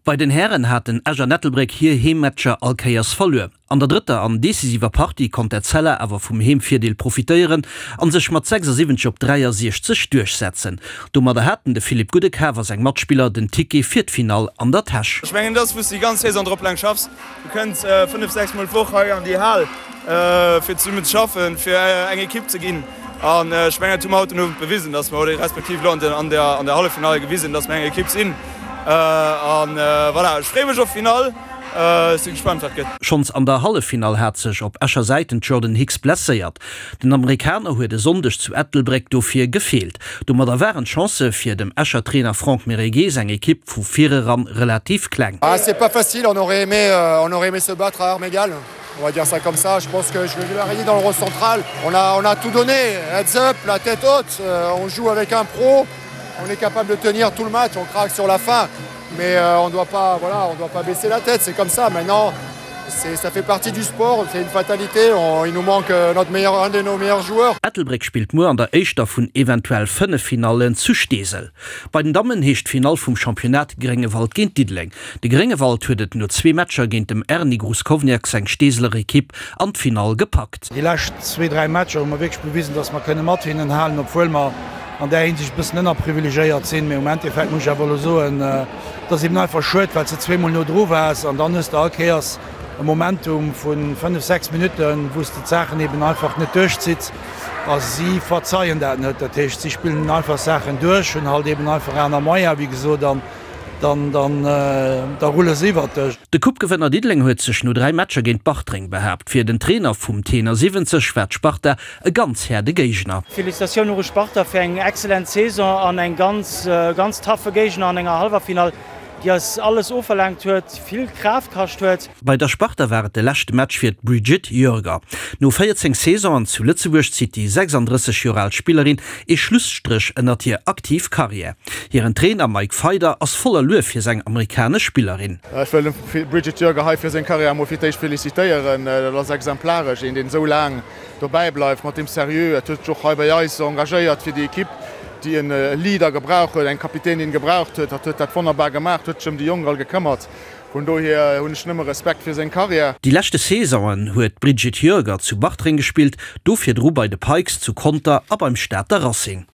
Bei den Hären haten Esch an Ettelbréck hir Heemmatcher all Kéiers verluer. An der drëtter an decisiver Partie konnt Etzella awer vum Heemvirdeel profitéieren an sech mat 76 op 63 duerchsetzen. Domadder haten de Philippe Guddecav a seng Matspiller den Ticket fir d'Finall an der Täsch. Ech mengen, dat ass, wou s de déi ganz Saison drop laang schaffs. Du kënns 5, 6 Mol d'Woch hei an déi Hal, fir zesummen ze schaffen, fir eng Ekipp ze ginn. An ech mengen, dat hu mer haut den Owend bewisen, dass mer, oder respektiv elo an der Halleffinall gewisen, dass mer eng Ekipp sinn. An voilà, ech freeë mech op d'Finall. Ech si gespaant, wat gëtt. Schonns an der Halleffinall hat sech op Escher Säit den Jordan Hicks blesséiert. Den Amerikaner huet e Sonndeg zu Ettelbréck dofir gefeelt. Domadder waren d'Chancë fir dem Escher Trainer Franck Mereguet seng Ekipp vu vireran relativ kleng. C'est pas facile, on aurait aimé, on aurait aimé se battre à armes égales, on va dire ça comme ça. Je pense que je l'ai dit dans le rôle central, on a, on a tout donné, heads up, la tête haute, on joue avec un pro, on est capable de tenir tout le match, on craque sur la fin. Mais euh, on doit pas, voilà, on doit pas baisser la tête, c'est comme ça. Maintenant, ça fait partie du sport, c'est une fatalité. On, il nous manque euh, notre meilleur, un de nos meilleurs joueurs. Ettelbréck spillt muer an der éischter vun eventuell 5 Finallen zu Steesel. Bei den Dammen heescht d'Finall vum Championnat Gréngewald géint Diddeleng. De Gréngewald huet et no zwee Matcher géint dem Erny Gruskovniak seng Steeseler Ekipp an d'Finall gepackt. Déi lescht zwee, dräi Matcher hu mer wierklech bewisen, dass mer kënne mat hinnen halen, obwuel mer an där Hinsicht e bëssen ënnerprivilegéiert sinn. Mee um Endeffekt muss ech awer elo soen, et ass eben einfach schued, well s de zweemol no dru waars an dann hues de all Kéiers e Momentum vu fënnef, sechs Minutten, wou s de d'Saachen eben einfach net duerchzitts a si verzeien dat net. Dat heescht, si spillen einfach Saachen duerch, hunn halt eben einfach aner Moyens, wéi gesot, an dann da rulle se iwwert dech. De Coupe-Gewënner Diddeleng huet sech no 3 Matcher géint Bartreng behaapt. Fir den Trainer vum Tenor 70 war d'Sparta e ganz haarde Géigner. Felicitatioun och u Sparta fir eng excellent Saison an eng ganz ganz taffe Géigner an enger Hallwerfinall, déi eis alles ofverlaangt huet, vill Kraaft kascht huet. Bei der Sparta war et de leschte Match fir d'Brigitte Jörger. No 14 Saisonen zu Lëtzebuerg zitt déi 36 Joer al Spillerin ee Schlusstréch ënnert hir aktiv Karriär. Hiren Trainer Mike Feider ass voller Luef fir seng amerikanesch Spillerin. Ech wëll dem Brigitte Jörger hei fir seng Karriär emol fir d'éischt felicitéieren. Dat ass exemplaresch, een deen esou laang dobäi bleift mat deem Seriö. Et huet sech och hei bei eis engagéiert fir déi Ekipp, déi en Leader gebraucht huet, eng Kapitänin gebraucht huet. Hatt huet dat wonnerbar gemaach, huet sech ëm déi Jonk all gekëmmert. Vun dohier hunn ech nëmme Respekt fir seng Karriär. Déi leschte Saisonen huet d'Brigitte Jörger zu Bartreng gespillt, do virdru bei de Pikes zu Conter a beim Stater Racing.